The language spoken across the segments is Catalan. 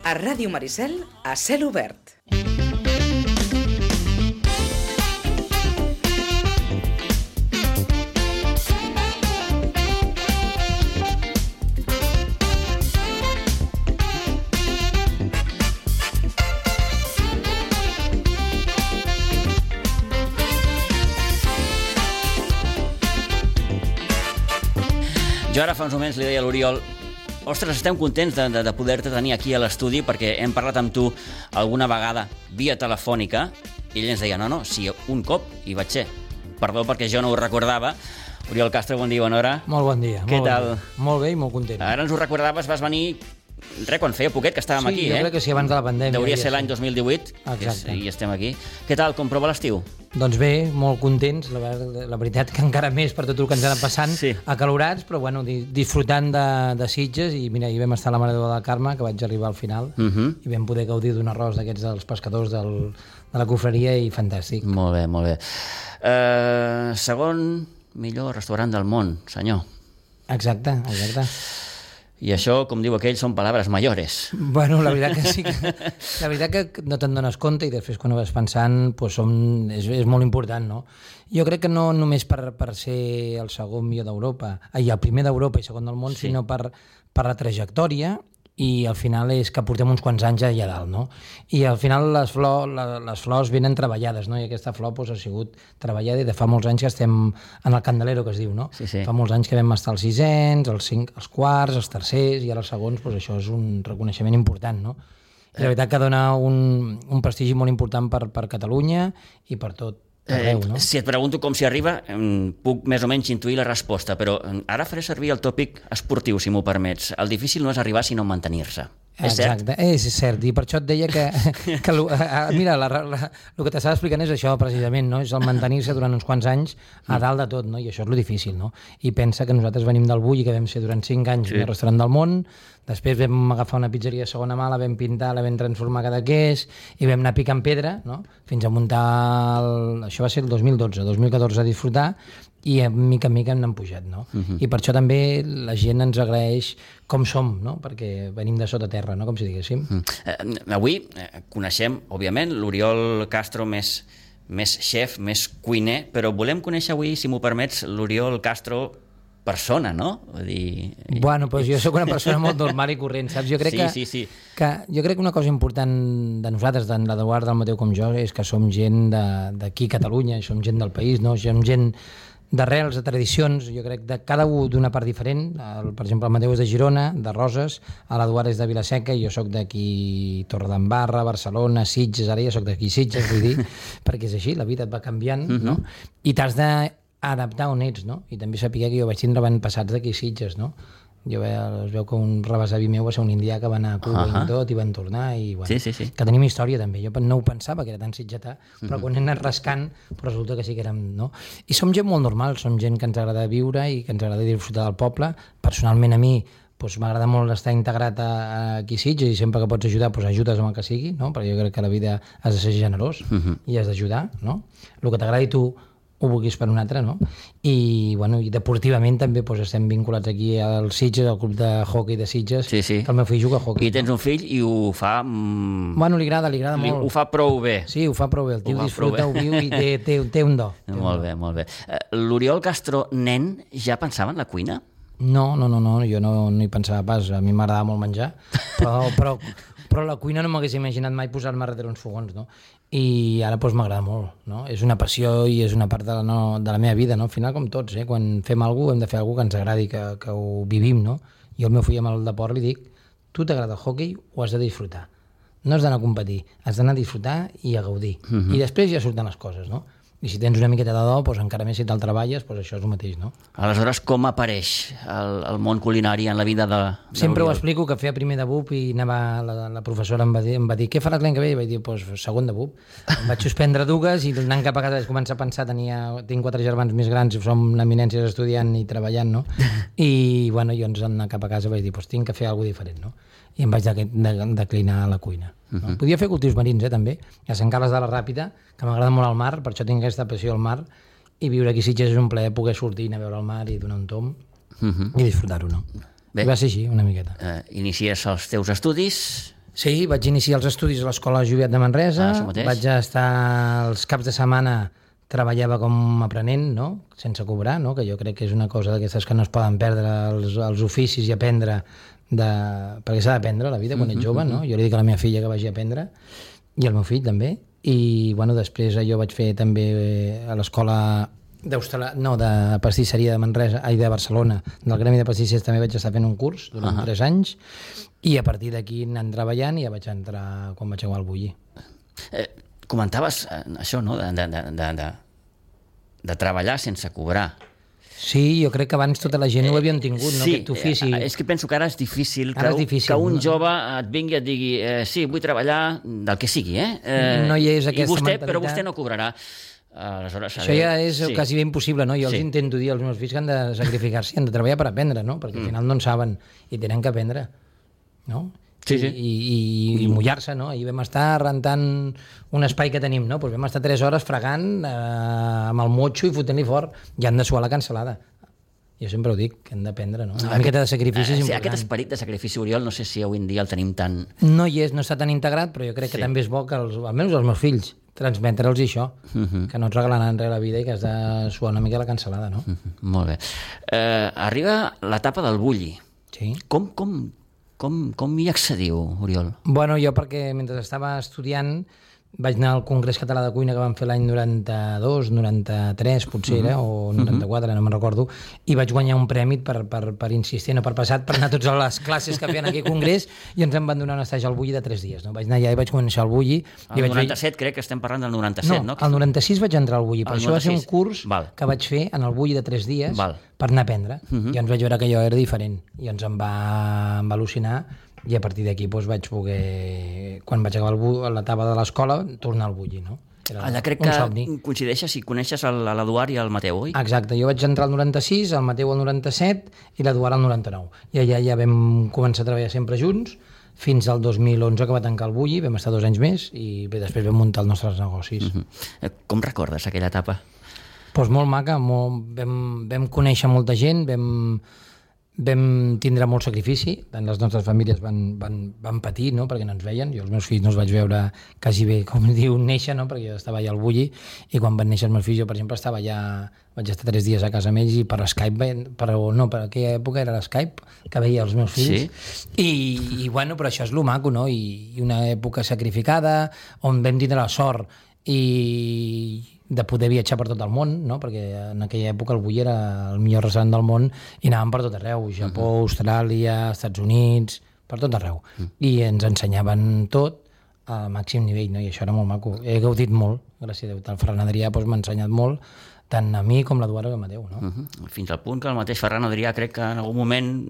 A Ràdio Maricel, a cel obert. Jo ara fa uns moments li deia a l'Oriol: ostres, estem contents de poder-te tenir aquí a l'estudi perquè hem parlat amb tu alguna vegada via telefònica i ell ens deia, no, si un cop hi vaig ser. Perdó perquè jo no ho recordava. Oriol Castro, bon dia, bona hora. Molt bon dia. Què tal? Molt bé i molt content. Ara ens ho recordaves, vas venir quan feia poquet que estàvem aquí, Sí, jo crec que sí, abans de la pandèmia. Hauria ser l'any 2018. Exacte. I estem aquí. Què tal, com prova l'estiu? Doncs bé, molt contents, la veritat que encara més per tot el que ens ha anat passant, Sí. acalorats, però bueno, disfrutant de Sitges, i mira, hi vam estar a la Mare de Déu del Carme, que vaig arribar al final, i vam poder gaudir d'un arròs d'aquests dels pescadors de la confraria, i fantàstic. Molt bé, molt bé. Segon millor restaurant del món, senyor. Exacte. I això, com diu aquell, són paraules mayores. Bueno, la veritat que sí, la veritat que no te'n dones compte i després quan ho vas pensant doncs és molt important, no? Jo crec que no només per ser el segon millor d'Europa, el primer d'Europa i segon del món, Sí. sinó per la trajectòria, i al final és que portem uns quants anys allà dalt, no? I al final les flors venen treballades, no? I aquesta flor doncs, ha sigut treballada i de fa molts anys que estem en el Candelero, que es diu, no? Sí. Fa molts anys que vam estar als sisens, els quarts, els tercers i ara els segons, doncs això és un reconeixement important, no? I la veritat que dona un prestigi molt important per Catalunya i per tot arreu, no? Si et pregunto com s'hi arriba, puc més o menys intuir la resposta, però ara faré servir el tòpic esportiu, si m'ho permets. El difícil no és arribar, sinó mantenir-se. És cert? Exacte, és cert, i per això et deia que mira, el que t'estava explicant és això precisament, no? És el mantenir-se durant uns quants anys a dalt de tot, no? I això és lo difícil, no? I pensa que nosaltres venim del Bull i que vam ser durant 5 anys el restaurant del món, després vam agafar una pizzeria de segona mà, la vam pintar, la vam transformar a Cadaqués i vam anar picant pedra, no? Fins a muntar això va ser el 2014 a disfrutar, i mica en mica hem pujat, no? I per això també la gent ens agraeix com som, no? Perquè venim de sota terra, no? Com si diguéssim. Avui coneixem, òbviament, l'Oriol Castro més xef, més cuiner, però volem conèixer avui, si m'ho permets, l'Oriol Castro persona, no? Vull dir... Bueno, doncs jo sóc una persona molt normal i corrent, saps? Jo crec jo crec que una cosa important de nosaltres, tant la d'Eduard, del Mateu com jo, és que som gent d'aquí a Catalunya, som gent del país, no? Som gent d'arrels, de tradicions, jo crec de cada un d'una part diferent. Per exemple, el Mateu és de Girona, de Roses, l'Eduard és de Vilaseca, i jo sóc d'aquí Torredembarra, Barcelona, Sitges, ara ja sóc d'aquí Sitges, vull dir, perquè és així, la vida et va canviant, no? I t'has d'adaptar on ets, no? I també saber que jo vaig tindre avantpassats d'aquí Sitges, no? Es veu que un rebesavi meu va ser un indià que va anar a Cuba i tot, i van tornar, i bueno, Sí. que tenim història també. Jo no ho pensava que era tan sitgetà, però quan he anat rascant resulta que sí que érem, no? I som gent molt normal, som gent que ens agrada viure i que ens agrada disfrutar del poble. Personalment a mi m'agrada molt estar integrat aquí a Sitges, i sempre que pots ajudar, ajudes amb el que sigui, no? Perquè jo crec que a la vida has de ser generós i has d'ajudar, no? El que t'agradi tu ho vulguis per un altre, no? I, bueno, i deportivament també estem vinculats aquí al Sitges, al club de hockey de Sitges, Sí. que el meu fill juga a hockey. I tens un fill i ho fa... Bueno, li agrada molt. Ho fa prou bé. Sí, ho fa prou bé. El tio disfruta, ho viu i té un do. Molt bé. L'Oriol Castro, nen, ja pensava en la cuina? No, jo no hi pensava pas. A mi m'agradava molt menjar, però la cuina no m'hagués imaginat mai posar-me darrere uns fogons, no? I ara m'agrada molt, no? És una passió i és una part de la meva vida, no? Al final, com tots, quan fem alguna cosa, hem de fer alguna cosa que ens agradi, que ho vivim, no? Jo al meu fill amb el deport li dic: tu t'agrada el hoquei, ho has de disfrutar. No has d'anar a competir, has d'anar a disfrutar i a gaudir. I després ja surten les coses, no? I si tens una miqueta de do, encara més si te'l treballes, això és el mateix, no? Aleshores, com apareix el món culinari en la vida de Sempre ho explico, que feia primer de BUP i la professora em va dir: què faràs l'any que ve? I vaig dir: segon de BUP. Em vaig suspendre dues i anant cap a casa vaig començar a pensar, tinc 4 germans més grans, som eminències estudiant i treballant, no? I bueno, jo anar cap a casa vaig dir: tinc que fer alguna cosa diferent, no? I em vaig declinar a la cuina. No? Podia fer cultius marins, també, a Sant Carles de la Ràpita, que m'agrada molt el mar, per això tinc aquesta passió al mar, i viure aquí a Sitges és un plaer poder sortir, anar a veure el mar i donar un tomb i disfrutar-ho, no? Bé, I va ser així, una miqueta. Inicies els teus estudis Sí, vaig iniciar els estudis a l'Escola Joviat de Manresa, vaig estar els caps de setmana, treballava com aprenent, no? Sense cobrar, no? Que jo crec que és una cosa d'aquestes que no es poden perdre els oficis i aprendre, perquè s'ha d'aprendre a la vida quan ets jove, no? Jo li dic a la meva filla que vagi a aprendre, i al meu fill també, i bueno, després jo vaig fer també a l'escola de pastisseria de Manresa, de Barcelona, del Gremi de Pastissers també vaig estar fent un curs durant 3 anys, i a partir d'aquí anant treballant i ja vaig entrar quan vaig acabar el bulli. Comentaves això, no?, de treballar sense cobrar. Sí, jo crec que abans tota la gent ho havien tingut, no? Aquest ofici. És que penso que ara és difícil que un jove et vingui i et digui sí, vull treballar del que sigui, no hi és aquesta mentalitat. Però vostè no cobrarà. Aleshores, això ja és quasi bé impossible, no? Jo els intento dir als meus fills que han de sacrificar-se, han de treballar per aprendre, no? Perquè al final no en saben i tenen que aprendre, no? I mullar-se, no? Ahir vam estar rentant un espai que tenim, no? Pues vam estar 3 hores fregant amb el motxo i fotent-li fort, i han de suar la cancel·lada. Jo sempre ho dic, que hem d'aprendre, no? Una miqueta de sacrifici és important. Aquest esperit de sacrifici, Oriol, no sé si avui en dia el tenim tan... No hi és, no està tan integrat, però jo crec que també és bo que, almenys els meus fills, transmetre'ls això, que no et regalaran res a la vida i que has de suar una mica la cancel·lada, no? Molt bé. Arriba l'etapa del bulli. Sí. Com hi accediu, Oriol? Bueno, jo perquè mentre estava estudiant vaig anar al Congrés Català de Cuina que van fer l'any 92, 93 potser era, o 94, no me'n recordo, i vaig guanyar un premi per insistir, no per passat, per anar a totes les classes que feien aquí al Congrés, i ens en van donar un estatge al bulli de 3 dies. No? Vaig anar allà i vaig començar el bulli. El 97 crec que estem parlant del 97, no? No, el 96 vaig entrar al bulli, però això va ser un curs que vaig fer en el bulli de 3 dies per anar a aprendre. I ens vaig veure que allò era diferent, i ens em va al·lucinar. I a partir d'aquí doncs, vaig poder, quan vaig acabar l'etapa de l'escola, tornar al bulli, no? Allà crec que coincideixes i coneixes l'Eduard i el Mateu, oi? Exacte, jo vaig entrar al 96, el Mateu al 97 i l'Eduard al 99. I allà ja vam començar a treballar sempre junts, fins al 2011 que va tancar el bulli, vam estar 2 anys més i bé, després vam muntar els nostres negocis. Com recordes aquella etapa? Doncs molt maca, vam conèixer molta gent, vam tindre molt sacrifici, tant les nostres famílies van patir, no?, perquè no ens veien. Jo els meus fills no els vaig veure quasi bé, com diu, néixer, no?, perquè jo estava allà al bulli, i quan van néixer els meus fills, jo, per exemple, estava allà, vaig estar 3 dies a casa amb ells, i per Skype, no, per aquella època era l'Skype, que veia els meus fills, i bueno, però això és lo maco, no?, i una època sacrificada, on vam tindre la sort de poder viatjar per tot el món, no? Perquè en aquella època el bulli era el millor restaurant del món i anàvem per tot arreu, Japó, Austràlia, Estats Units, per tot arreu. I ens ensenyaven tot a màxim nivell, no? I això era molt maco. He gaudit molt, gràcies a Déu. El Ferran Adrià m'ha ensenyat molt, tant a mi com l'Eduard i el Mateu, no? Fins al punt que el mateix Ferran Adrià crec que en algun moment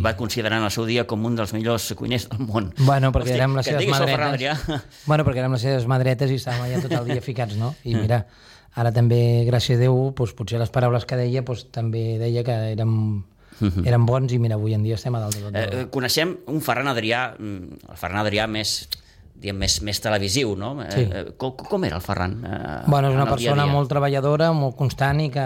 va considerar en el seu dia com un dels millors cuiners del món. Bueno, perquè érem les seves madretes. Bueno, perquè érem les seves madretes i estàvem allà tot el dia ficats, no? I mira, ara també, gràcies a Déu, potser les paraules que deia també deia que eren bons i mira, avui en dia estem a dalt de tot. Coneixem un Ferran Adrià, el Ferran Adrià més televisiu, no? Sí. Com era el Ferran? Bueno, és una persona molt treballadora, molt constant i que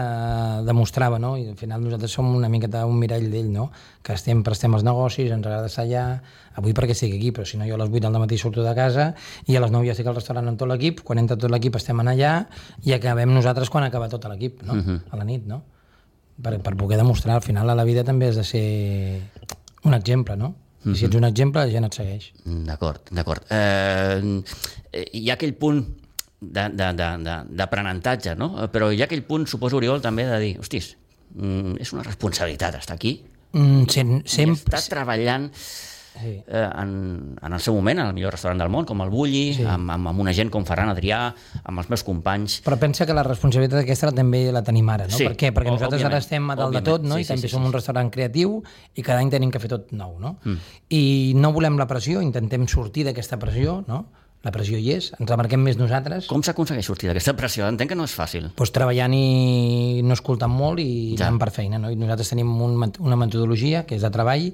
demostrava, no? I al final nosaltres som una miqueta un mirall d'ell, no? Que sempre estem als negocis, ens agrada estar allà, avui perquè estic aquí, però si no jo a les 8 del matí surto de casa i a les 9 ja estic al restaurant amb tot l'equip, quan entra tot l'equip estem allà i acabem nosaltres quan acaba tot l'equip, no? A la nit, no? Per poder demostrar, al final a la vida també has de ser un exemple, no? I si ets un exemple, la gent et segueix. D'acord. Hi ha aquell punt d'aprenentatge, no? Però hi ha aquell punt, suposo, Oriol, també de dir, hostis, és una responsabilitat estar aquí. Sempre... Està treballant en el seu moment, en el millor restaurant del món, com el Bulli, amb una gent com Ferran Adrià, amb els meus companys. Però pensa que la responsabilitat aquesta també la tenim ara, no? Per què? Perquè nosaltres ara estem a dalt de tot, no? I també som un restaurant creatiu i cada any tenim que fer tot nou, no? I no volem la pressió, intentem sortir d'aquesta pressió, no? La pressió hi és, ens la marquem més nosaltres. Com s'aconsegueix sortir d'aquesta pressió? Entenc que no és fàcil. Doncs treballant i no escoltant molt i anant per feina, no? I nosaltres tenim una metodologia que és de treball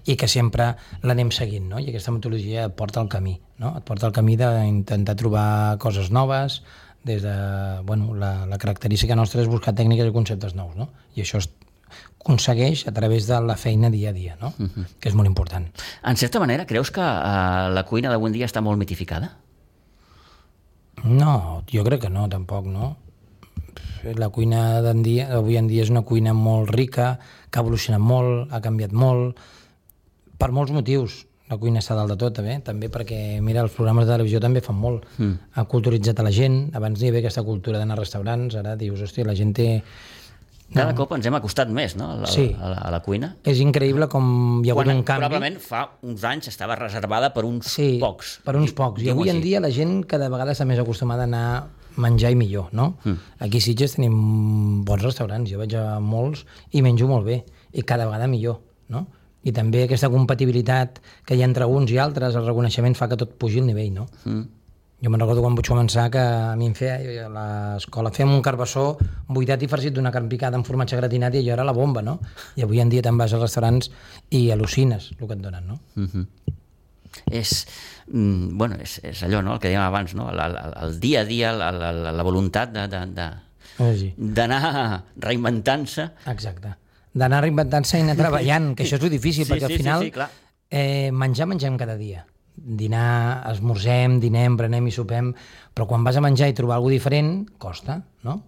i que sempre l'anem seguint, no? I aquesta metodologia et porta al camí, no? Et porta al camí d'intentar trobar coses noves, des de, bueno, la característica nostra és buscar tècniques i conceptes nous, no? I això aconsegueix a través de la feina dia a dia, no? Que és molt important. En certa manera, creus que la cuina d'avui en dia està molt mitificada? No, jo crec que no, tampoc, no? La cuina d'avui en dia és una cuina molt rica, que ha evolucionat molt, ha canviat molt, per molts motius. La cuina està dalt de tot, també perquè, mira, els programes de televisió també fan molt. Ha culturitzat a la gent, abans n'hi havia aquesta cultura d'anar a restaurants, ara dius, hòstia, la gent té... Cada cop ens hem acostat més, no?, a la cuina. És increïble com hi ha hagut un canvi. Probablement fa uns anys estava reservada per uns pocs. Per uns pocs. I avui en dia la gent cada vegada està més acostumada a anar a menjar i millor, no? Aquí a Sitges tenim bons restaurants, jo vaig a molts i menjo molt bé, i cada vegada millor, no? I també aquesta compatibilitat que hi ha entre uns i altres, el reconeixement fa que tot pugi el nivell, no? Jo me'n recordo quan vaig començar que a mi em feia a l'escola, fèiem un carbassó buidat i farcit d'una carn picada amb formatge gratinat i allò era la bomba, no? I avui en dia te'n vas als restaurants i al·lucines el que et donen, no? És allò, no?, el que dèiem abans, no?, el dia a dia, la voluntat d'anar reinventant-se. Exacte. D'anar reinventant-se i anar treballant, que això és lo difícil, perquè al final mengem cada dia. Dinar, esmorzem, dinem, berenem i sopem, però quan vas a menjar i trobar alguna diferent, costa, no?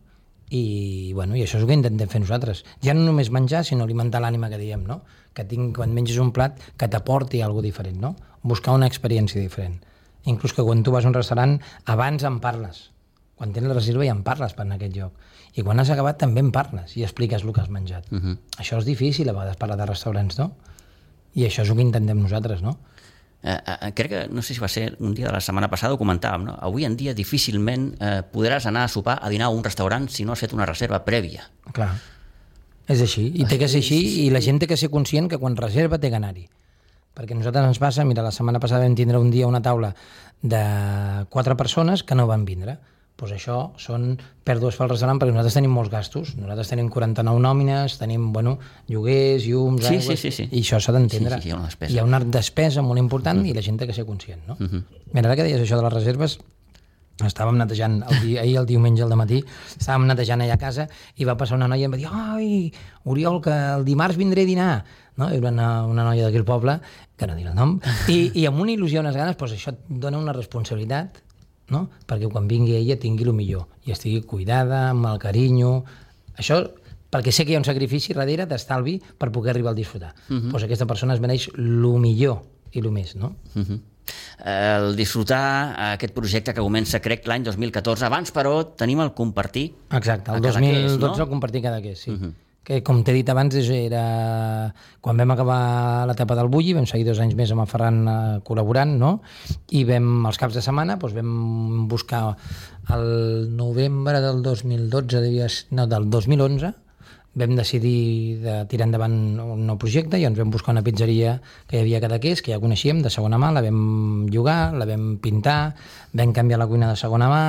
I això és el que intentem fer nosaltres. Ja no només menjar, sinó alimentar l'ànima que diem, no? Que quan menges un plat, que t'aporti alguna diferent, no? Buscar una experiència diferent. Inclús que quan tu vas a un restaurant, abans en parles. Quan tens la reserva ja en parles per anar a aquest lloc. I quan has acabat també en parles i expliques el que has menjat. Això és difícil a vegades parlar de restaurants, no? I això és el que intentem nosaltres, no? Crec que, no sé si va ser un dia de la setmana passada, ho comentàvem, no? Avui en dia difícilment podràs anar a sopar, a dinar a un restaurant si no has fet una reserva prèvia. Clar, és així, i té que ser així, i la gent té que ser conscient que quan reserva té que anar-hi. Perquè a nosaltres ens passa, mira, la setmana passada vam tindre un dia una taula de 4 persones que no van vindre. Doncs això són pèrdues pel restaurant, perquè nosaltres tenim molts gastos. Nosaltres tenim 49 nòmines, tenim, lloguers, llums, aigües... I això s'ha d'entendre. Sí, hi ha una despesa. Hi ha una despesa molt important i la gent té que ser conscient, no? Mira, ara que deies això de les reserves, estàvem netejant, ahir el diumenge al dematí, estàvem netejant allà a casa i va passar una noia i em va dir: ai, Oriol, que el dimarts vindré a dinar. No? Era una noia d'aquí al poble, que no diré el nom, i amb una il·lusió, unes ganes, doncs això et dona una responsabilitat, no? Perquè quan vingui ella tingui el millor i estigui cuidada, amb el carinyo. Això, perquè sé que hi ha un sacrifici darrere d'estalvi per poder arribar al disfrutar. Doncs aquesta persona es mereix el millor i el més, no? El disfrutar, aquest projecte que comença, crec, l'any 2014. Abans, però, tenim el compartir. Exacte, el 2012 no? El compartir Cadaqués, sí. Que, com t'he dit abans, era quan vam acabar l'etapa del Bulli, vam seguir 2 anys més amb el Ferran col·laborant, no? I els caps de setmana vam buscar el novembre del 2012, del 2011, vam decidir de tirar endavant un nou projecte i ens vam buscar una pizzeria que hi havia a Cadaqués, que ja coneixíem, de segona mà, la vam llogar, la vam pintar, vam canviar la cuina de segona mà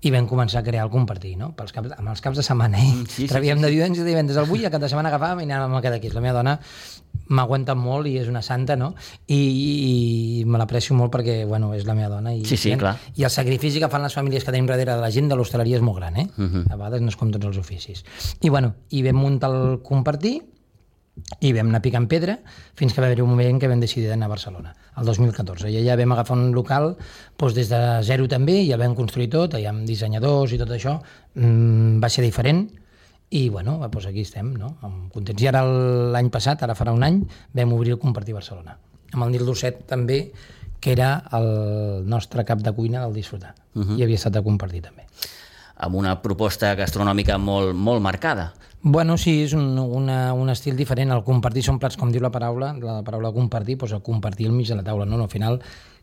i vam començar a crear el compartir, no? Amb els caps de setmana, Travíem de divendres al Bulli, el cap de setmana agafàvem i anàvem a Cadaqués. La meva dona m'aguanta molt i és una santa, no? I me l'aprecio molt perquè, és la meva dona. Clar. I el sacrifici que fan les famílies que tenim darrere de la gent de l'hostaleria és molt gran, A vegades no és com tots els oficis. I vam muntar el compartir i vam anar picant pedra fins que va haver un moment que vam decidir d'anar a Barcelona, el 2014. I allà vam agafar un local des de zero també, i el vam construir tot, allà amb dissenyadors i tot això. Va ser diferent. I, aquí estem, no? Contents. I ara l'any passat, ara farà un any, vam obrir el Compartir Barcelona. Amb el Nil Dosset també, que era el nostre cap de cuina del disfrutar. I havia estat a compartir també. Amb una proposta gastronòmica molt, molt marcada. Sí, és un estil diferent. El compartir són plats, com diu la paraula compartir, el compartir al mig de la taula, no? Al final,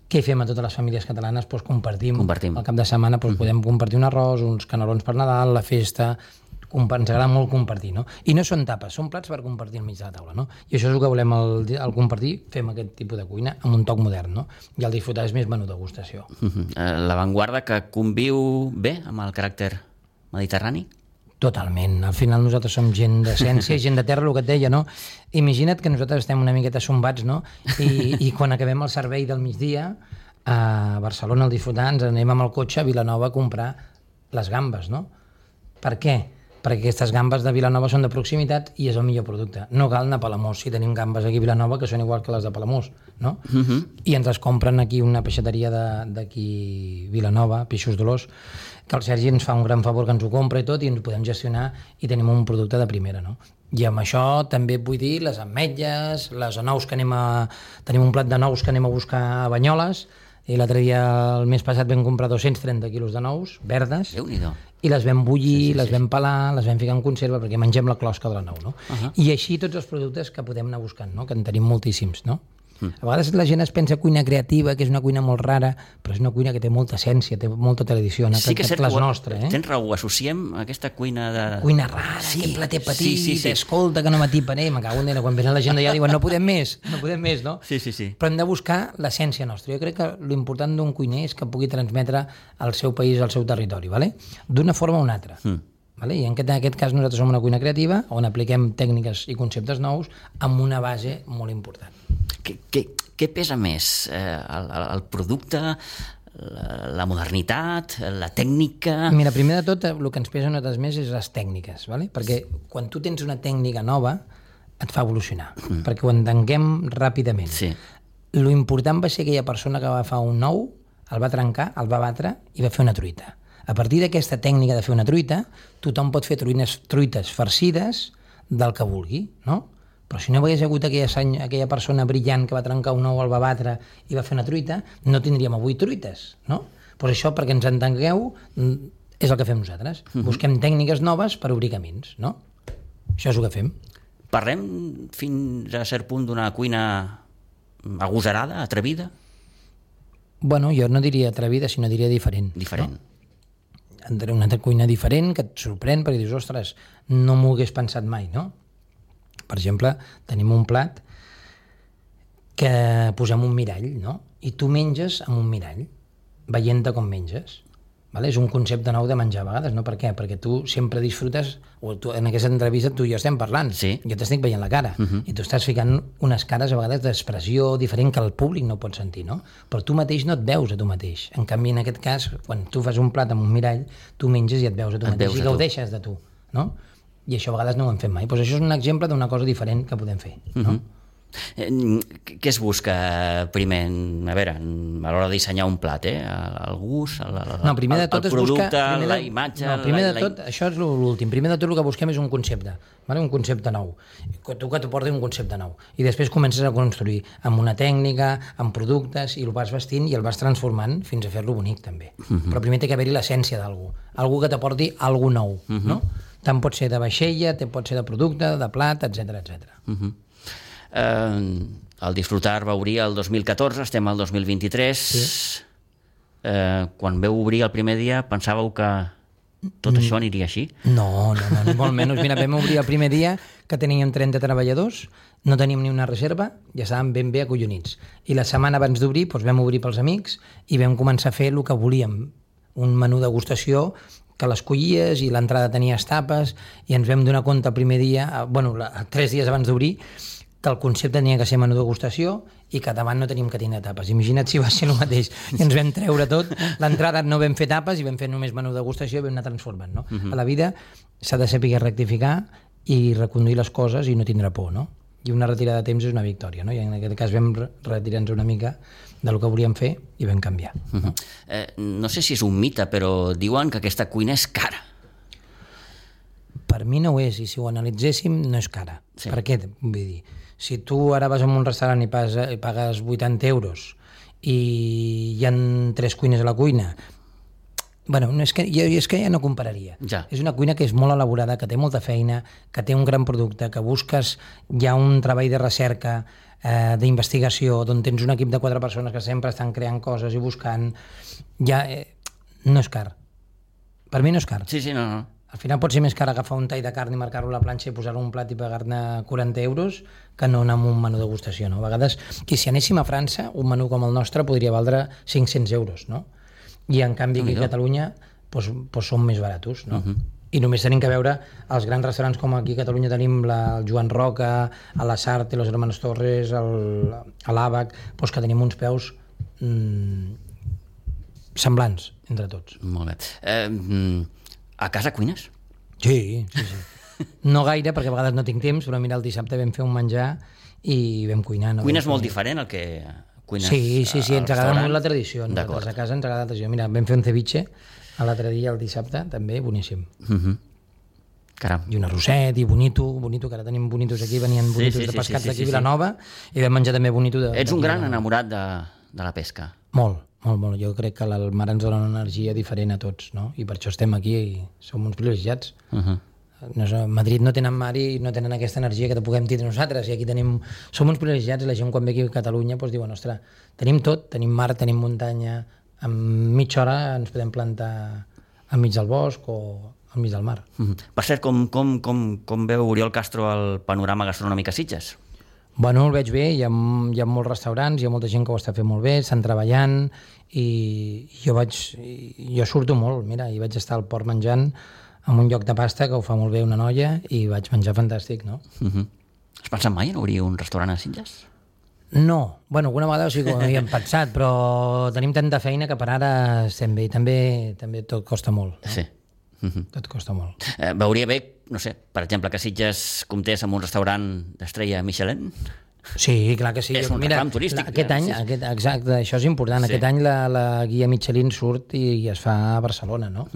què fem a totes les famílies catalanes? Compartim. Al cap de setmana podem compartir un arròs, uns canelons per Nadal, la festa. Ens agrada molt compartir, no? I no són tapes, són plats per compartir al mig de la taula, no? I això és el que volem al compartir, fem aquest tipus de cuina amb un toc modern, no? I el disfrutar és més menú degustació. L'avantguarda que conviu bé amb el caràcter mediterrani? Totalment. Al final nosaltres som gent d'essència, gent de terra, el que et deia, no? Imagina't que nosaltres estem una miqueta sombats, no? I quan acabem el servei del migdia, a Barcelona, al disfrutar, ens anem amb el cotxe a Vilanova a comprar les gambes, no? Per què? perquè aquestes gambes de Vilanova són de proximitat i és el millor producte. No cal anar a Palamós si tenim gambes aquí a Vilanova que són igual que les de Palamós, no? I ens les compren aquí una peixateria d'aquí Vilanova, Peixos Dolors, que el Sergi ens fa un gran favor que ens ho compra i tot, i ens ho podem gestionar i tenim un producte de primera, no? I amb això també vull dir les ametlles, les nous que tenim un plat de nous que anem a buscar a Banyoles, i l'altre dia, el mes passat, vam comprar 230 quilos de nous, verdes, i les vam bullir, les vam pelar, les vam ficar en conserva perquè mengem la closca de la nou, no? I així tots els productes que podem anar buscant, no? Que en tenim moltíssims, no? A vegades la gent es pensa cuina creativa, que és una cuina molt rara, però és una cuina que té molta essència, té molta tradició, sí que és cert, tens raó, associem aquesta cuina de... Cuina rara, aquest plater petit, escolta que no m'atipen, me cago en Déu, quan venen la gent d'allà diuen no podem més, no? Sí. Però hem de buscar l'essència nostra. Jo crec que l'important d'un cuiner és que pugui transmetre al seu país, al seu territori, d'una forma o una altra. I en aquest cas nosaltres som una cuina creativa on apliquem tècniques i conceptes nous amb una base molt important. Què pesa més? El producte, la modernitat, la tècnica... Mira, primer de tot, el que ens pesa nosaltres més és les tècniques, perquè quan tu tens una tècnica nova et fa evolucionar, perquè ho entenguem ràpidament. Lo important va ser aquella persona que va agafar un ou, el va trencar, el va batre i va fer una truita. A partir d'aquesta tècnica de fer una truita, tothom pot fer truites farcides del que vulgui, no? Però si no hagués hagut aquella persona brillant que va trencar un ou, el va batre i va fer una truita, no tindríem avui truites, no? Doncs això, perquè ens entengueu, és el que fem nosaltres. Busquem tècniques noves per obrir camins, no? Això és el que fem. Parlem fins a cert punt d'una cuina agosarada, atrevida? Bueno, jo no diria atrevida, sinó diria diferent. Diferent. No? Una cuina diferent que et sorprèn perquè dius, ostres, no m'ho hagués pensat mai, no? Per exemple, tenim un plat que posem un mirall, no? I tu menges amb un mirall, veient-te com menges. És un concepte nou de menjar a vegades, no? Per què? Perquè tu sempre disfrutes, o en aquesta entrevista tu i jo estem parlant, jo t'estic veient la cara, i tu estàs ficant unes cares a vegades d'expressió diferent que el públic no pot sentir, no? Però tu mateix no et veus a tu mateix. En canvi, en aquest cas, quan tu fas un plat amb un mirall, tu menges i et veus a tu mateix i gaudeixes de tu, no? I això a vegades no ho hem fet mai. Doncs això és un exemple d'una cosa diferent que podem fer, no? Què es busca primer, a veure, a l'hora de dissenyar un plat, el gust, el producte, la imatge... No, primer de tot, això és l'últim, primer de tot el que busquem és un concepte, un concepte nou, tu que t'ho porti un concepte nou, i després comences a construir amb una tècnica, amb productes, i el vas vestint i el vas transformant fins a fer-lo bonic també, però primer té que haver-hi l'essència d'algú, algú que t'aporti alguna nou, no? Tant pot ser de vaixella, pot ser de producte, de plat, etc. El Disfrutar va obrir el 2014, estem al 2023. Quan veu obrir el primer dia, pensàveu que tot això aniria així? No, ni molt menys. Mira, vam obrir el primer dia que teníem 30 treballadors, no teníem ni una reserva, ja estàvem ben bé acollonits. I la setmana abans d'obrir vam obrir pels amics i vam començar a fer el que volíem, un menú de degustació que l'escollies i l'entrada tenia tapes i ens vam donar compte el primer dia, 3 dies abans d'obrir, que el concepte tenia que ser menú de degustació i que davant no teníem que tenir tapes. Imagina't si va ser el mateix. I ens vam treure tot, l'entrada no vam fer tapes i vam fer només menú de degustació i vam anar transformant. No? A la vida s'ha de saber rectificar i reconduir les coses i no tindre por, no? I una retirada de temps és una victòria, no? I en aquest cas vam retirar-nos una mica del que volíem fer i vam canviar. No sé si és un mite, però diuen que aquesta cuina és cara. Per mi no ho és, i si ho analitzéssim no és cara. Sí. Per què? Vull dir, si tu ara vas a un restaurant i pagues 80 euros i hi ha 3 cuines a la cuina, és que ja no compararia. Ja. És una cuina que és molt elaborada, que té molta feina, que té un gran producte, que busques ja un treball de recerca, d'investigació, d'on tens un equip de 4 persones que sempre estan creant coses i buscant. No és car. Per mi no és car. Sí, no. Al final pot ser més car agafar un tall de carn i marcar-lo a la planxa i posar-lo un plat i pagar-ne 40 euros que no anar amb un menú de degustació, no? A vegades, si anéssim a França, un menú com el nostre podria valdre 500 euros, no? I en canvi aquí a Catalunya són més baratos, no? I només tenim que veure els grans restaurants com aquí a Catalunya tenim el Joan Roca, a la Sarte, los Hermanos Torres, a l'Àbac, que tenim uns preus semblants entre tots. Molt bé. A casa cuines? Sí. No gaire, perquè a vegades no tinc temps, però mira, el dissabte vam fer un menjar i vam cuinar. Cuines molt diferent al que cuines Sí, ens agrada molt la tradició. Nosaltres a casa ens agrada la tradició. Mira, vam fer un ceviche l'altre dia, el dissabte, també, boníssim. Caram. I un arrosset, i bonito, que ara tenim bonitos aquí, venien bonitos de pescats d'aquí a Vilanova, i vam menjar també bonito de... Ets un gran enamorat de la pesca. Molt. Jo crec que el mar ens dona una energia diferent a tots, no? I per això estem aquí i som uns privilegiats. A Madrid no tenen mar i no tenen aquesta energia que puguem tindre nosaltres, i aquí som uns privilegiats, i la gent quan ve aquí a Catalunya diuen, ostres, tenim tot, tenim mar, tenim muntanya, en mitja hora ens podem plantar enmig del bosc o enmig del mar. Per cert, com veu Oriol Castro el panorama gastronòmic a Sitges? Bueno, el veig bé, hi ha molts restaurants, hi ha molta gent que ho està fent molt bé, estan treballant, i jo surto molt, mira, i vaig estar al port menjant en un lloc de pasta que ho fa molt bé una noia, i vaig menjar fantàstic, no? Has pensat mai en obrir un restaurant a Sitges? No, bueno, alguna vegada sí que ho havíem pensat, però tenim tanta feina que per ara estem bé, i també tot costa molt. No? Sí. Tot costa molt. Veuria bé, no sé, per exemple, que Sitges comptés amb un restaurant d'estrella Michelin? Sí, clar que sí. És un reclam turístic. Exacte, això és important. Sí. Aquest any la guia Michelin surt i es fa a Barcelona, no?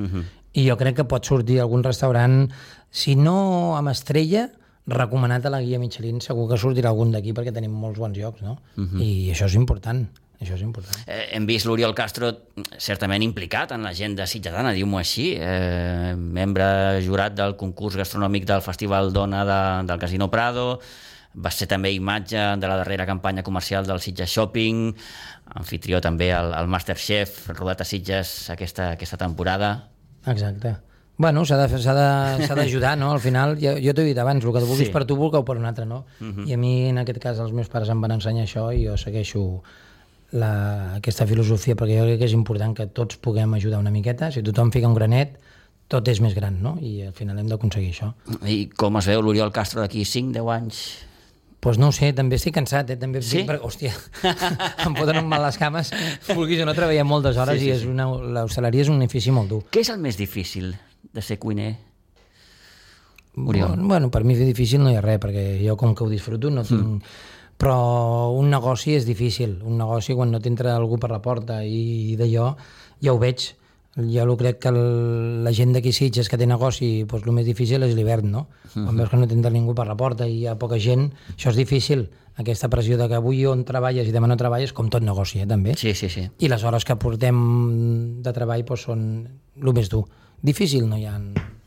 I jo crec que pot sortir algun restaurant, si no amb estrella, recomanat a la guia Michelin, segur que sortirà algun d'aquí perquè tenim molts bons llocs, no? I això és important. Hem vist l'Oriol Castro certament implicat en l'agenda sitgetana, diu-m'ho així, membre jurat del concurs gastronòmic del Festival Dona del Casino Prado, va ser també imatge de la darrera campanya comercial del Sitges Shopping, anfitrió també al Masterchef, rodat a Sitges aquesta temporada. Exacte. Bueno, s'ha d'ajudar, no? Al final, jo t'ho he dit abans, el que tu vulguis per tu, vulgueu per un altre, no? I a mi, en aquest cas, els meus pares em van ensenyar això i jo segueixo aquesta filosofia, perquè jo crec que és important que tots puguem ajudar una miqueta. Si tothom fica un granet, tot és més gran, no? I al final hem d'aconseguir això. I com es veu l'Oriol Castro d'aquí 5-10 anys? Doncs no ho sé, també estic cansat, també sí? Hòstia, em poden mal les cames, vulguis o no, treballem moltes hores i l'hostaleria és un ofici molt dur. Què és el més difícil de ser cuiner, Oriol? Bueno, per mi difícil no hi ha res, perquè jo com que ho disfruto no tinc... Però un negoci és difícil, un negoci quan no t'entra algú per la porta i d'allò ja ho veig. Jo crec que la gent d'aquí Sitges que té negoci, doncs el més difícil és l'hivern, no? Quan veus que no t'entra ningú per la porta i hi ha poca gent, això és difícil. Aquesta pressió de que avui on treballes i demà no treballes, com tot negoci, també. Sí. I les hores que portem de treball doncs, són el més dur. Difícil no hi ha...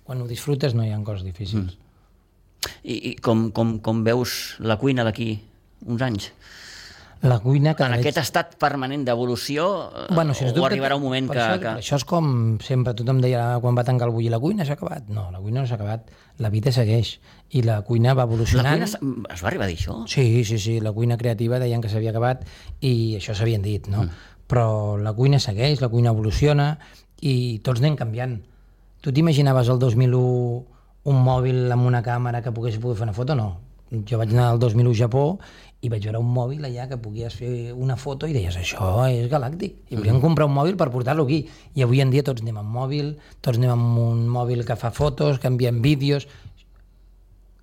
Quan ho disfrutes no hi ha coses difícils. I com veus la cuina d'aquí uns anys? La cuina en aquest estat permanent d'evolució, bueno, o arribarà un moment que... Això és com sempre, tothom deia quan va tancar el bullir, la cuina s'ha acabat. No, la cuina no s'ha acabat, la vida segueix i la cuina va evolucionant. La cuina es va arribar a dir això? Sí, la cuina creativa deien que s'havia acabat i això s'havien dit, no? Però la cuina segueix, la cuina evoluciona i tots anem canviant. Tu t'imaginaves el 2001 un mòbil amb una càmera que pogués fer una foto? No. Jo vaig anar al 2001 a Japó i vaig veure un mòbil allà que podies fer una foto i deies, això és galàctic. I volíem comprar un mòbil per portar-lo aquí. I avui en dia tots anem amb mòbil, tots anem amb un mòbil que fa fotos, que enviem vídeos.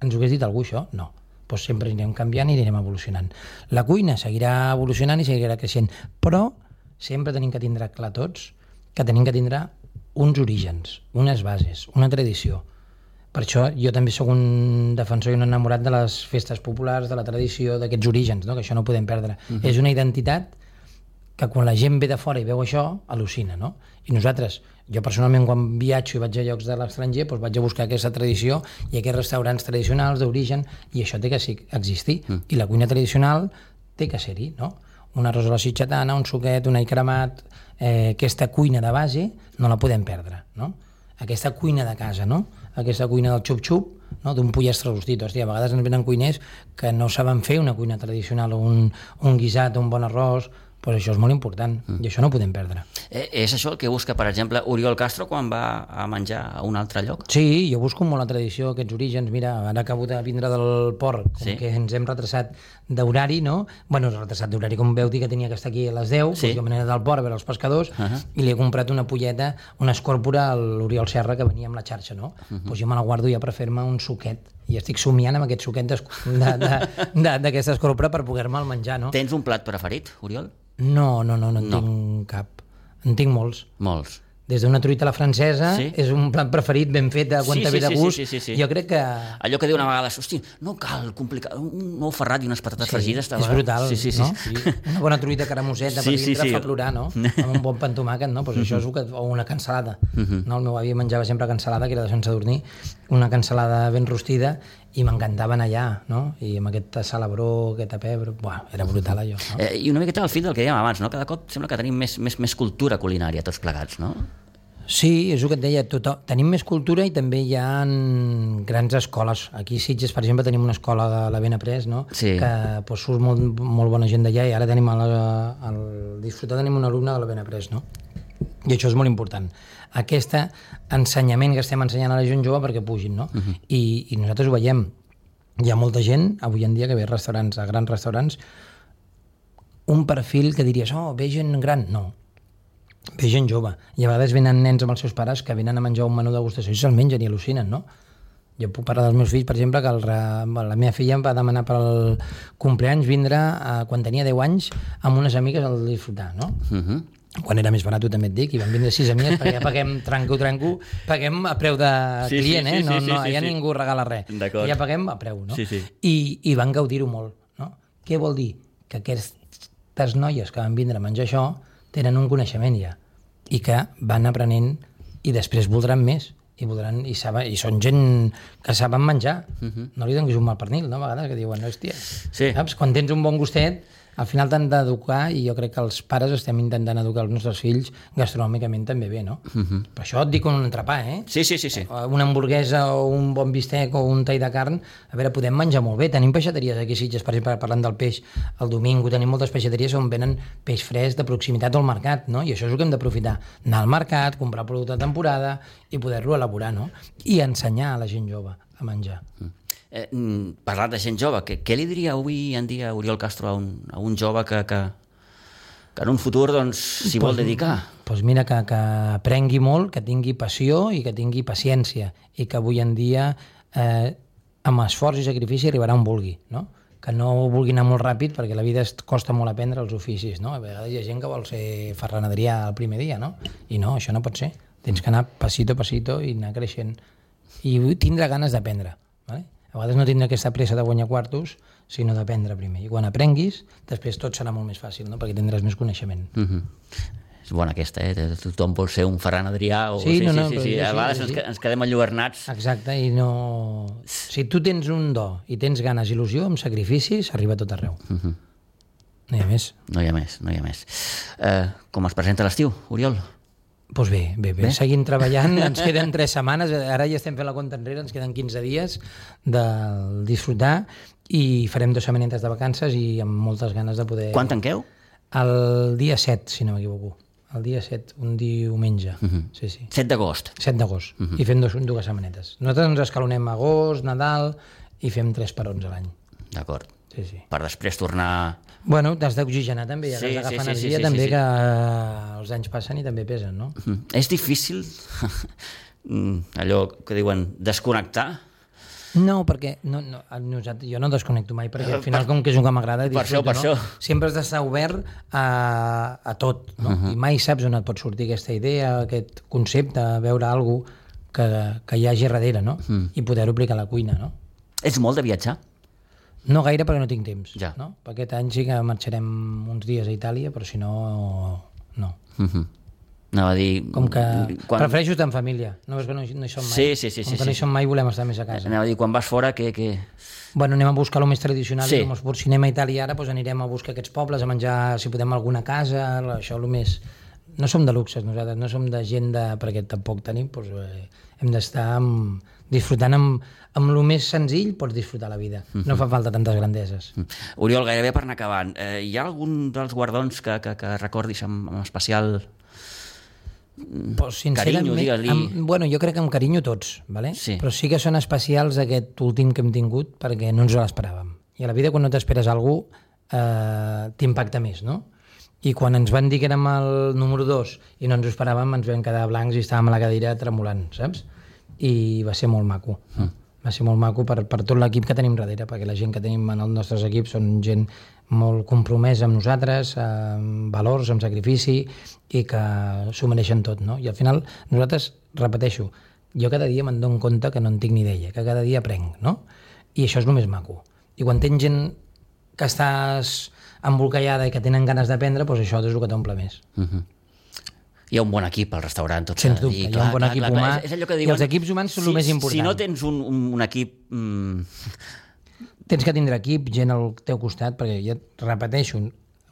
Ens ho hagués dit algú, això? No. Doncs sempre anirem canviant i anirem evolucionant. La cuina seguirà evolucionant i seguirà creixent, però sempre tenim que tindre clar tots que tenim que tindre uns orígens, unes bases, una tradició. Per això jo també sóc un defensor i un enamorat de les festes populars, de la tradició, d'aquests orígens, no? Que això no ho podem perdre. És una identitat que quan la gent ve de fora i veu això, al·lucina, no? I nosaltres, jo personalment quan viatjo i vaig a llocs de l'estranger, doncs vaig a buscar aquesta tradició i aquests restaurants tradicionals d'origen, i això té que existir. I la cuina tradicional té que ser-hi, no? Un arròs a la sitgetana, un suquet, un all cremat, aquesta cuina de base no la podem perdre, no? Aquesta cuina de casa, no? Aquesta cuina del xup-xup, no? D'un pollastre rostit. Hòstia, a vegades ens venen cuiners que no saben fer una cuina tradicional, o un guisat, un bon arròs, Doncs això és molt important, i això no ho podem perdre. És això el que busca, per exemple, Oriol Castro quan va a menjar a un altre lloc? Sí, jo busco molt la tradició, aquests orígens. Mira, ara acabo de vindre del port, com que ens hem retrasat d'horari, no? Bueno, retrasat d'horari, com veu dir que tenia que estar aquí a les 10, doncs jo me n'he anat al port a veure els pescadors i li he comprat una polleta, una escòrpora a l'Oriol Serra que venia amb la xarxa, no? Doncs jo me la guardo ja per fer-me un suquet i estic somiant amb aquest suquet d'aquesta escòrpora per poder-me'l menjar, no? Tens un plat preferit, Oriol? No en tinc cap. En tinc molts. Molts. Des d'una truita a la francesa, és un plat preferit ben fet, quan te ve de gust. Sí. Jo crec que... Allò que diuen a vegades, hosti, no cal complicar, un ou ferrat i unes patates fregides... És brutal, no? Una bona truita caramusseta per dintre fa plorar, no? Amb un bon pa amb tomàquet, no? Pues això és o una cansalada. El meu avi menjava sempre cansalada, que era de Sant Sadurní, una cansalada ben rostida, i m'encantaven allà, no? I amb aquest salabró, aquest pebre... Buah, era brutal allò, no? I una miqueta al fil del que dèiem abans, no? Cada cop sembla que tenim més cultura culinària tots plegats, no? Sí, és el que et deia, tenim més cultura i també hi ha grans escoles. Aquí a Sitges, per exemple, tenim una escola de la Benaprés, no? Que surt molt bona gent d'allà, i ara tenim al Disfrutar tenim un alumne de la Benaprés, no? I això és molt important. Aquest ensenyament que estem ensenyant a la gent jove perquè pugin, no? I nosaltres ho veiem. Hi ha molta gent, avui en dia, que ve a restaurants, a grans restaurants, un perfil que diries, ve gent gran. No, ve gent jove. I a vegades venen nens amb els seus pares que venen a menjar un menú degustació i se'l mengen i al·lucinen, no? Jo puc parlar dels meus fills, per exemple, que la meva filla em va demanar pel compleanys vindre, quan tenia 10 anys, amb unes amigues al Disfrutar, no? Quan era més barat, també et dic, i van vindre 6 amigues, perquè ja paguem tranco, paguem a preu de client, ja ningú regala res. Ja paguem a preu, no? I van gaudir-ho molt, no? Què vol dir? Que aquestes noies que van vindre a menjar això tenen un coneixement ja, i que van aprenent i després voldran més, i són gent que saben menjar. No li donis un mal pernil, no? A vegades que diuen, hòstia, saps? Quan tens un bon gustet, al final t'han d'educar, i jo crec que els pares estem intentant educar els nostres fills gastronòmicament també bé, no? Per això et dic un entrepà, Sí. Una hamburguesa o un bon bistec o un tall de carn, a veure, podem menjar molt bé. Tenim peixateries aquí a Sitges, per exemple, parlant del peix, el domingo tenim moltes peixateries on venen peix fresc de proximitat al mercat, no? I això és el que hem d'aprofitar. Anar al mercat, comprar producte de temporada i poder-lo elaborar, no? I ensenyar a la gent jove a menjar. Parlat de gent jove, què li diria avui en dia Oriol Castro a un jove que en un futur s'hi vol dedicar? Doncs mira, que aprengui molt, que tingui passió i que tingui paciència, i que avui en dia amb esforç i sacrifici arribarà on vulgui, no? Que no vulgui anar molt ràpid, perquè la vida costa molt aprendre els oficis, no? A vegades hi ha gent que vol ser ferraneria el primer dia, no? I no, això no pot ser. Tens que anar pasito a pasito i anar creixent. I tindre ganes d'aprendre, vale? A vegades no tindre aquesta pressa de guanyar quartos, sinó d'aprendre primer. I quan aprenguis, després tot serà molt més fàcil, no? Perquè tindràs més coneixement. És bona aquesta, Tothom vol ser un Ferran Adrià. Sí. A vegades ens quedem enlluernats. Exacte, i no... Si tu tens un do i tens ganes i il·lusió, amb sacrificis, arriba a tot arreu. No hi ha més. No hi ha més. Com es presenta l'estiu, Oriol? Doncs bé, seguim treballant, ens queden 3 setmanes, ara ja estem fent la compta enrere, ens queden 15 dies del Disfrutar i farem 2 setmanetes de vacances i amb moltes ganes de poder... Quan tanqueu? El dia 7, si no m'equivoco. El dia 7, un diumenge. Sí. 7 d'agost. 7 d'agost. I fem 2 setmanetes. Nosaltres ens escalonem agost, Nadal, i fem 3 parons a l'any. D'acord. Sí. Per després tornar... Bueno, t'has d'oxigenar també, has d'agafar energia també, que els anys passen i també pesen, no? És difícil allò que diuen desconnectar? No, perquè jo no desconnecto mai, perquè al final com que és un que m'agrada per això. Sempre has d'estar obert a tot, no? I mai saps on et pot sortir aquesta idea, aquest concepte, veure alguna cosa que hi hagi darrere, no? I poder-ho aplicar a la cuina, no? Ets molt de viatjar? No gaire, perquè no tinc temps. Ja. No? Aquest any sí que marxarem uns dies a Itàlia, però si no, no. Anava a dir... Com que prefereixo estar en família. No veus que no hi som mai? Sí. Com que no hi som mai, volem estar més a casa. Anava a dir, quan vas fora, que... Bueno, anem a buscar el més tradicional. Si anem a Itàlia ara, doncs anirem a buscar aquests pobles, a menjar, si podem, alguna casa, això el més no som de luxes nosaltres, no som de gent perquè tampoc tenim, doncs, hem d'estar disfrutant amb el més senzill, pots disfrutar la vida. No fa falta tantes grandeses. Oriol, gairebé per anar acabant, hi ha algun dels guardons que recordis amb especial carinyo, digue-li? Bueno, jo crec que amb carinyo tots, ¿vale? Sí. Però sí que són especials aquest últim que hem tingut perquè no ens l'esperàvem. I a la vida quan no t'esperes algú t'impacta més, no? I quan ens van dir que érem el número 2 i no ens ho esperàvem, ens vam quedar blancs i estàvem a la cadira tremolant, saps? I va ser molt maco. Va ser molt maco per tot l'equip que tenim darrere, perquè la gent que tenim en els nostres equips són gent molt compromesa amb nosaltres, amb valors, amb sacrifici, i que s'ho mereixen tot, no? I al final, nosaltres, repeteixo, jo cada dia me'n dono compte que no en tinc ni idea, que cada dia aprenc, no? I això és el més maco. I quan tens gent que estàs embolcallada i que tenen ganes d'aprendre, doncs això és el que t'omple més. Hi ha un bon equip al restaurant, tot s'ha de dir. Hi ha un bon equip humà, i els equips humans són el més important. Si no tens un equip... Tens que tindre equip, gent al teu costat, perquè ja repeteixo,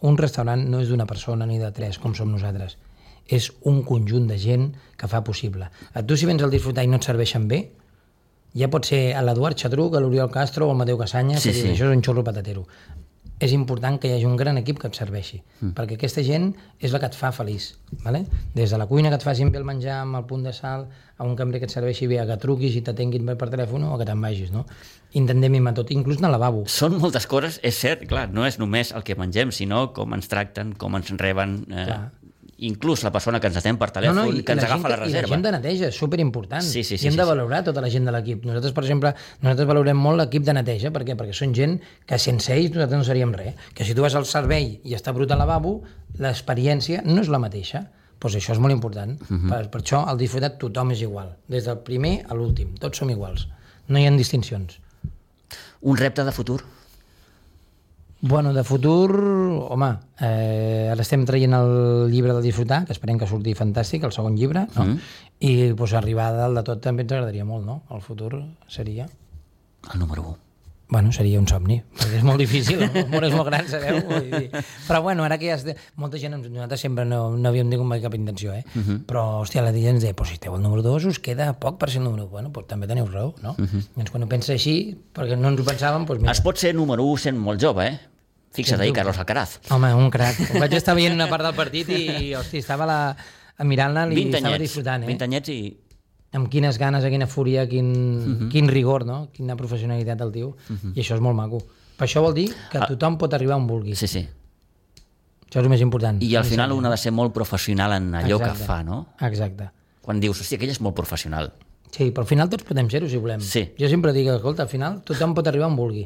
un restaurant no és d'una persona ni de 3, com som nosaltres. És un conjunt de gent que fa possible. Tu, si vens al disfrutar i no et serveixen bé, ja pot ser l'Eduard Xatruc, l'Oriol Castro o el Mateu Casanya, que diu, això és un xurro patatero. És important que hi hagi un gran equip que et serveixi, perquè aquesta gent és la que et fa feliç, ¿vale? Des de la cuina que et facin bé el menjar amb el punt de sal, a un cambrer que et serveixi bé, a que truquis i t'atenguin bé per telèfon o que te'n vagis, no? Intentem mimar tot, inclús en el lavabo. Són moltes coses, és cert, clar, no és només el que mengem, sinó com ens tracten, com ens reben... inclús la persona que ens atén per telèfon, que ens agafa la reserva. I la gent de neteja, és superimportant. Sí, I hem de valorar tota la gent de l'equip. Nosaltres, per exemple, valorem molt l'equip de neteja. Per què? Perquè són gent que sense ells nosaltres no seríem res. Que si tu vas al servei i està brut al lavabo, l'experiència no és la mateixa. Doncs això és molt important. Per això, al disfrutat, tothom és igual. Des del primer a l'últim. Tots som iguals. No hi ha distincions. Un repte de futur? Bueno, de futur, home, ara estem traient el llibre del disfrutar, que esperem que surti fantàstic, el segon llibre, no? I pues, arribar a dalt de tot també ens agradaria molt, no? El futur seria... El número 1. Bueno, seria un somni, perquè és molt difícil, el món és molt gran, sabeu? Però bueno, ara que ja... Molta gent, nosaltres sempre no havíem tingut mai cap intenció, però, hòstia, la gent ens deia, si esteu al número 2 us queda poc per ser el número 1. Bueno, doncs també teniu raó, no? Doncs quan ho pensa així, perquè no ens ho pensàvem, doncs mira... Es pot ser número 1 sent molt jove, Fixa't ahir, Carlos Alcaraz. Home, un crac. Vaig estar veient una part del partit i, hòstia, estava mirant-la i estava disfrutant, 20 anyets i... Amb quines ganes, quina fúria, quin rigor, no? Quina professionalitat del tio. I això és molt maco. Per això vol dir que tothom pot arribar on vulgui. Sí. Això és el més important. I al final un ha de ser molt professional en allò que fa, no? Exacte. Quan dius, hòstia, aquell és molt professional. Sí, però al final tots podem ser-ho, si volem. Sí. Jo sempre dic, escolta, al final tothom pot arribar on vulgui.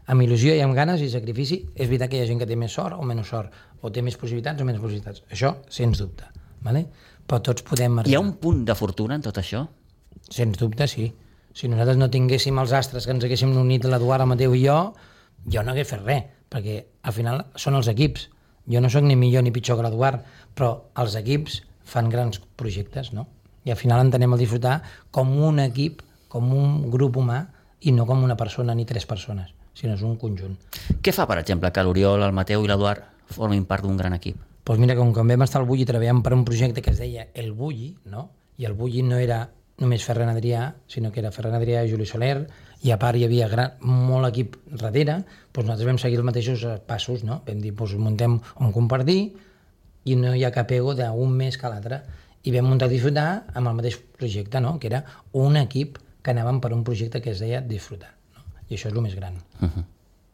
Amb il·lusió i amb ganes i sacrifici. És veritat que hi ha gent que té més sort o menys sort, o té més possibilitats o menys possibilitats. Això, sens dubte. Vale? Però tots podem arribar. Hi ha un punt de fortuna en tot això? Sens dubte, sí. Si nosaltres no tinguéssim els astres que ens haguéssim unit l'Eduard, el Mateu i jo no hagués fet res, perquè al final són els equips. Jo no sóc ni millor ni pitjor que l'Eduard, però els equips fan grans projectes, no? I al final entenem el disfrutar com un equip, com un grup humà, i no com una persona ni 3 persones, sinó és un conjunt. Què fa, per exemple, que l'Oriol, el Mateu i l'Eduard formin part d'un gran equip? Doncs mira, com vam estar al Bulli treballant per un projecte que es deia El Bulli, no? I el Bulli no era només Ferran Adrià, sinó que era Ferran Adrià i Juli Soler, i a part hi havia molt equip darrere, doncs nosaltres vam seguir els mateixos passos, no? Vam dir, doncs muntem un compartir i no hi ha cap ego d'un més que l'altre. I vam muntar Disfrutar amb el mateix projecte, no? Que era un equip que anàvem per un projecte que es deia Disfrutar. I això és el més gran.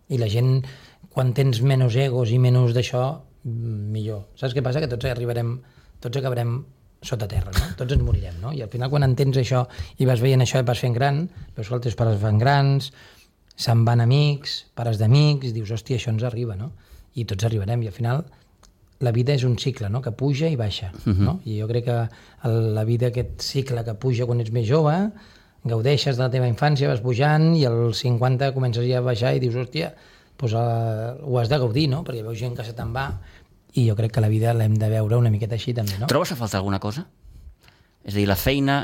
I la gent, quan tens menys egos i menys d'això, millor. Saps què passa? Que tots acabarem sota terra, no? Tots ens morirem, no? I al final, quan entens això i vas veient això i vas fent gran, veus que els teus pares fan grans, se'n van amics, pares d'amics, dius, hòstia, això ens arriba, no? I tots arribarem. I al final, la vida és un cicle, no? Que puja i baixa, no? I jo crec que la vida, aquest cicle que puja quan ets més jove, gaudeixes de la teva infància, vas pujant i als 50 comences ja a baixar i dius, hòstia, doncs ho has de gaudir, no? Perquè veus gent que se te'n va i jo crec que la vida l'hem de veure una miqueta així també, no? Trobes a faltar alguna cosa? És a dir, la feina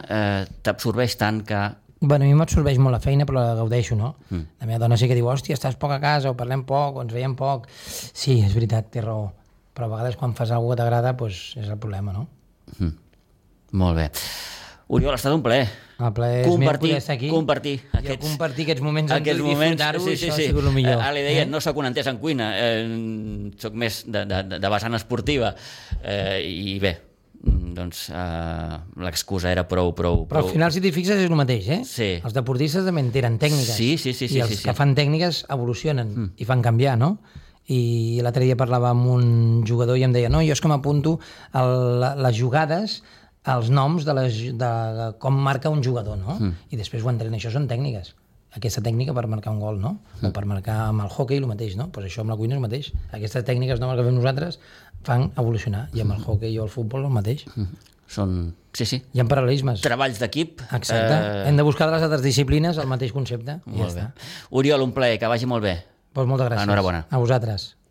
t'absorbeix tant que... Bueno, a mi m'absorbeix molt la feina, però la gaudeixo, no? La meva dona sí que diu, hòstia, estàs poc a casa, o parlem poc, o ens veiem poc. Sí, és veritat, té raó. però a vegades quan fas alguna cosa que t'agrada doncs és el problema, no? Molt bé. Oriol, ha estat un plaer. El plaer és meu poder estar aquí. Compartir aquests moments amb tu i disfrutar-ho, això ha sigut el millor. Ara li deia, no soc un entès en cuina, soc més de vessant esportiva, i bé, doncs l'excusa era prou... Però al final, si t'hi fixes, és el mateix, eh? Sí. Els deportistes també en tenen tècniques. Sí. I els que fan tècniques evolucionen i fan canviar, no? I l'altre dia parlava amb un jugador i em deia, no, jo és que m'apunto a les jugades, els noms de com marca un jugador, no? I després ho entrenen. Això són tècniques. Aquesta tècnica per marcar un gol, no? O per marcar amb el hoquei el mateix, no? Pues això amb la cuina és el mateix. Aquestes tècniques noves que fem nosaltres fan evolucionar, i amb el hoquei o el futbol el mateix. Són... Sí. Hi ha paral·lelismes. Treballs d'equip. Exacte. Hem de buscar de les altres disciplines el mateix concepte. Molt bé. Oriol, un plaer, que vagi molt bé. Pues moltes gràcies. Enhorabona. A vosaltres.